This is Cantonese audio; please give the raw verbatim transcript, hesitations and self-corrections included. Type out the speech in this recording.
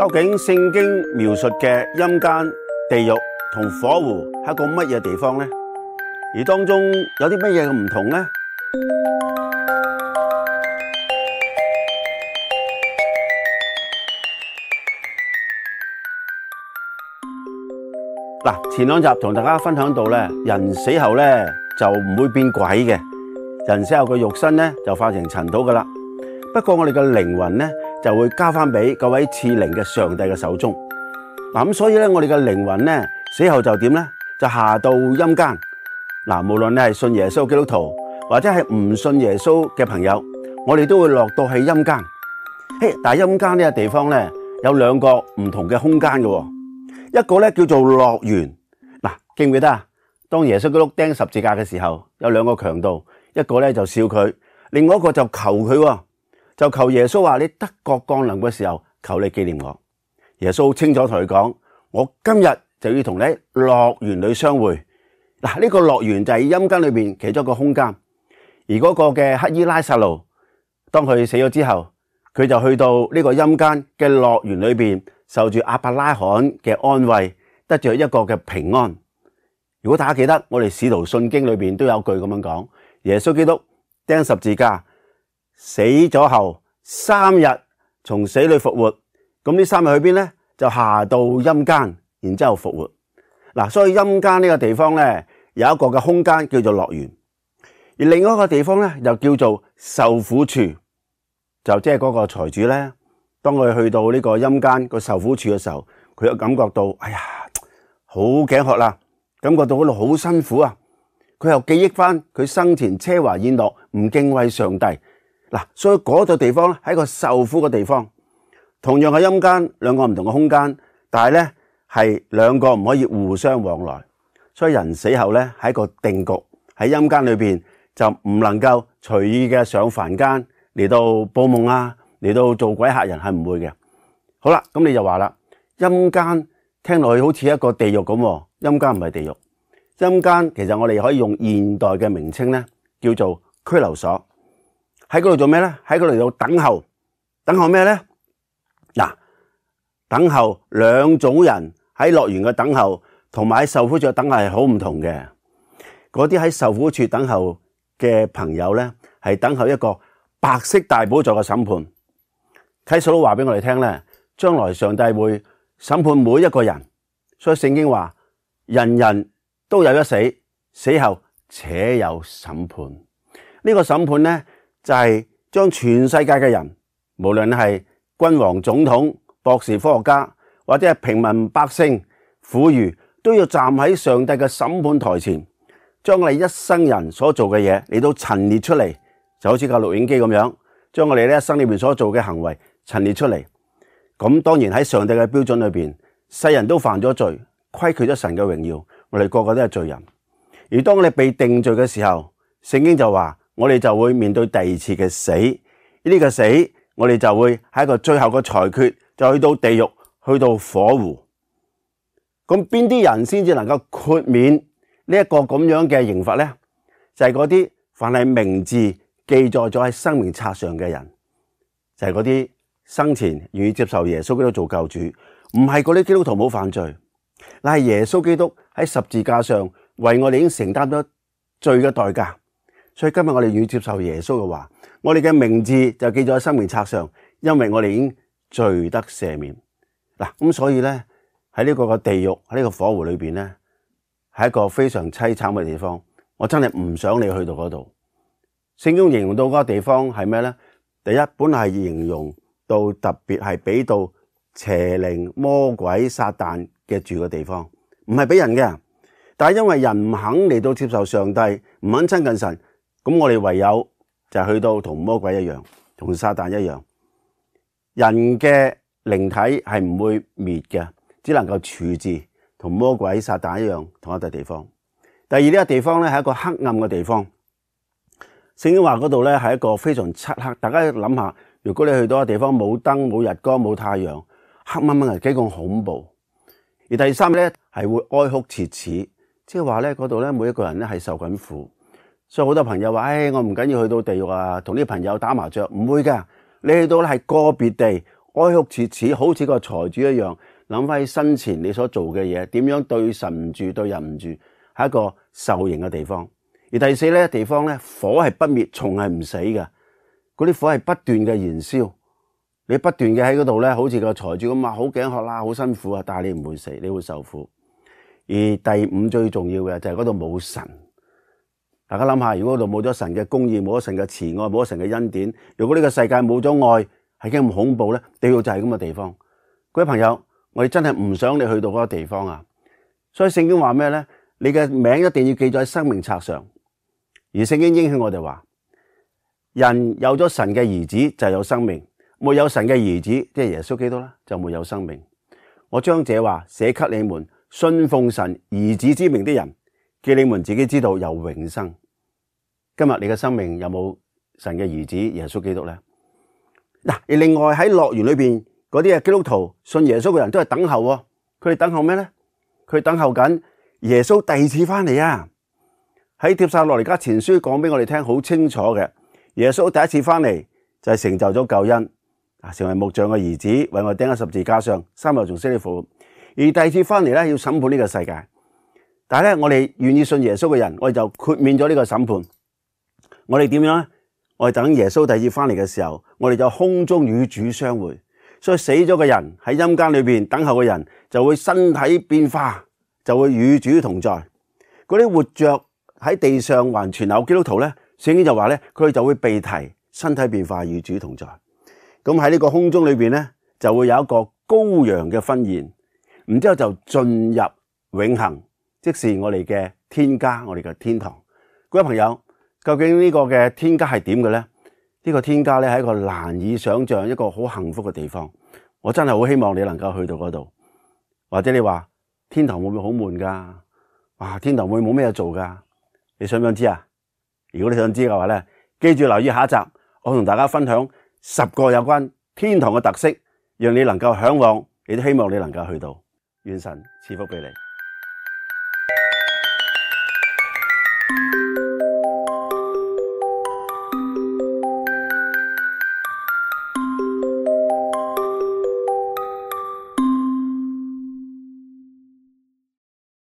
究竟聖經描述嘅陰間、地獄同火湖係一個乜嘢地方呢？而當中有啲乜嘢嘅唔同呢？嗱，前兩集同大家分享到咧，人死後咧就唔會變鬼嘅，人死後嘅肉身咧就化成塵土噶啦。不過我哋嘅靈魂咧就會交翻俾各位賜靈嘅上帝嘅手中。嗱，咁所以咧我哋嘅靈魂咧死後就點咧？就下到陰間。嗱，無論你係信耶穌基督徒或者係唔信耶穌嘅朋友，我哋都會落到去陰間。嘿，但係陰間呢個地方咧有兩個唔同嘅空間嘅。一個咧叫做樂園，嗱，記唔記得啊？當耶穌基督釘十字架嘅時候，有兩個強盜，一個咧就笑佢，另外一個就求佢，就求耶穌話：你得國降臨嘅時候，求你紀念我。耶穌清楚同佢講：我今日就要同你喺樂園裏相會。嗱，呢個樂園就係陰間裏邊其中一個空間。而嗰個嘅黑衣拉撒路，當佢死咗之後，佢就去到呢個陰間嘅樂園裏邊。受住亞伯拉罕嘅安慰，得着一個嘅平安。如果大家記得，我哋使徒信經裏邊都有句咁樣講：耶穌基督釘十字架，死咗後三日從死裏復活。咁呢三日去邊咧？就下到陰間，然之後復活。嗱，所以陰間呢個地方咧有一個嘅空間叫做樂園，而另外一個地方咧又叫做受苦處，就即係嗰個財主咧。當佢去到呢個陰間個受苦處嘅時候，佢又感覺到，哎呀，好頸渴啦，感覺到嗰度好辛苦啊。佢又記憶翻佢生前奢華宴樂，唔敬畏上帝。嗱，所以嗰度地方咧係一個受苦嘅地方。同樣係陰間，兩個唔同嘅空間，但係咧係兩個唔可以互相往來。所以人死後咧係一個定局，喺陰間裏邊就唔能夠隨意嘅上凡間嚟到報夢啊。嚟到做鬼嚇人係唔會嘅。好啦，咁你就話啦，陰間聽落去好似一個地獄咁，陰間唔係地獄。陰間其實我哋可以用現代嘅名稱咧，叫做拘留所。喺嗰度做咩咧？喺嗰度做等候，等候咩咧？嗱，等候兩種人喺樂園嘅等候，同埋喺受苦處嘅等候係好唔同嘅。嗰啲喺受苦處等候嘅朋友咧，係等候一個白色大寶座嘅審判。啟示錄話俾我哋聽咧，將來上帝會審判每一個人，所以聖經話人人都有一死，死後且有審判。呢個審判咧就係將全世界嘅人，無論係君王、總統、博士、科學家，或者係平民百姓、婦孺，都要站喺上帝嘅審判台前，將我哋一生人所做嘅嘢嚟到陳列出嚟，就好似個錄影機咁樣，將我哋呢一生裏面所做嘅行為陳列出嚟。咁當然喺上帝嘅標準裏邊，世人都犯咗罪，虧缺咗神嘅榮耀，我哋個個都係罪人。而當我哋被定罪嘅時候，聖經就話我哋就會面對第二次嘅死。呢個死我哋就會喺一個最後嘅裁決，就去到地獄，去到火湖。咁邊啲人先至能夠豁免呢一個咁樣嘅刑罰咧？就係嗰啲凡係名字記載咗喺生命冊上嘅人，就係嗰啲生前願意接受耶穌基督做救主，唔係嗰啲基督徒冇犯罪，乃係耶穌基督喺十字架上為我哋已經承擔咗罪嘅代價。所以今日我哋願意接受耶穌嘅話，我哋嘅名字就記咗喺生命冊上，因為我哋已經罪得赦免。嗱，咁所以咧喺呢個嘅地獄，喺呢個火湖裏邊咧，係一個非常淒慘嘅地方。我真係唔想你去到嗰度。聖經形容到嗰個地方係咩咧？第一，本係形容到特別係俾到邪靈、魔鬼、撒旦嘅住嘅地方，唔係俾人嘅。但係因為人唔肯嚟到接受上帝，唔肯親近神，咁我哋唯有就係去到同魔鬼一樣，同撒旦一樣。人嘅靈體係唔會滅嘅，只能夠處置，同魔鬼、撒旦一樣同一笪地方。第二，呢個地方咧係一個黑暗嘅地方。聖經話嗰度咧係一個非常漆黑。大家諗下，如果你去到一個地方冇燈、冇日光、冇太陽，黑掹掹係幾咁恐怖。而第三咧係會哀哭切齒，即係話咧嗰度咧每一個人咧係受緊苦。所以好多朋友話：唉，我唔緊要去到地獄啊，同啲朋友打麻雀，唔會噶。你去到咧係個別地哀哭切齒，好似個財主一樣，諗翻起生前你所做嘅嘢，點樣對神唔住，對人唔住，係一個受刑嘅地方。而第四咧地方咧，火係不滅，蟲係唔死嘅，嗰啲火係不斷嘅燃燒，你不斷嘅喺嗰度咧，好似個財主咁啊，好頸渴啦，好辛苦啊，但係你唔會死，你會受苦。而第五最重要嘅就係嗰度冇神。大家諗下，如果嗰度冇咗神嘅公義，冇咗神嘅慈愛，冇咗神嘅恩典，如果呢個世界冇咗愛，係幾咁恐怖咧？地獄就係咁嘅地方。各位朋友，我哋真係唔想你去到嗰個地方啊！所以聖經話咩咧？你嘅名一定要記載喺生命冊上。而聖經應許我哋話，人有咗神嘅兒子就有生命，沒有神嘅兒子，即係耶穌基督啦，就沒有生命。我將這話寫給你們信奉神兒子之名的人，叫你們自己知道有永生。今日你嘅生命有冇神嘅兒子耶穌基督咧？嗱，而另外喺樂園裏邊嗰啲嘅基督徒信耶穌嘅人都係等候，佢哋等候咩咧？佢等候緊耶穌第二次翻嚟啊！喺帖撒羅尼迦前書講俾我哋聽好清楚嘅，耶穌第一次翻嚟就係成就咗救恩，啊，成為木匠嘅兒子，為我哋釘喺十字架上，三日仲死裏復活。而第二次翻嚟咧，要審判呢個世界。但係咧，我哋願意信耶穌嘅人，我哋就豁免咗呢個審判。我哋點樣咧？我哋等耶穌第二次翻嚟嘅時候，我哋就空中與主相會。所以死咗嘅人喺陰間裏邊等候嘅人，就會身體變化，就會與主同在。嗰啲活着喺地上還存留基督徒咧，聖經就話咧，佢哋就會被提身體變化與主同在。咁喺呢個空中裏邊咧，就會有一個羔羊嘅婚宴，然之後就進入永恆，即是我哋嘅天家，我哋嘅天堂。各位朋友，究竟呢個嘅天家係點嘅咧？呢個天家咧係一個難以想象，一個好幸福嘅地方。我真係好希望你能夠去到嗰度。或者你話天堂會唔會好悶噶？哇，天堂會冇咩嘢做噶？你想唔想知啊？如果你想知嘅話咧，記住留意下一集，我同大家分享十個有關天堂嘅特色，讓你能夠向往，亦都希望你能夠去到。願神賜福俾你。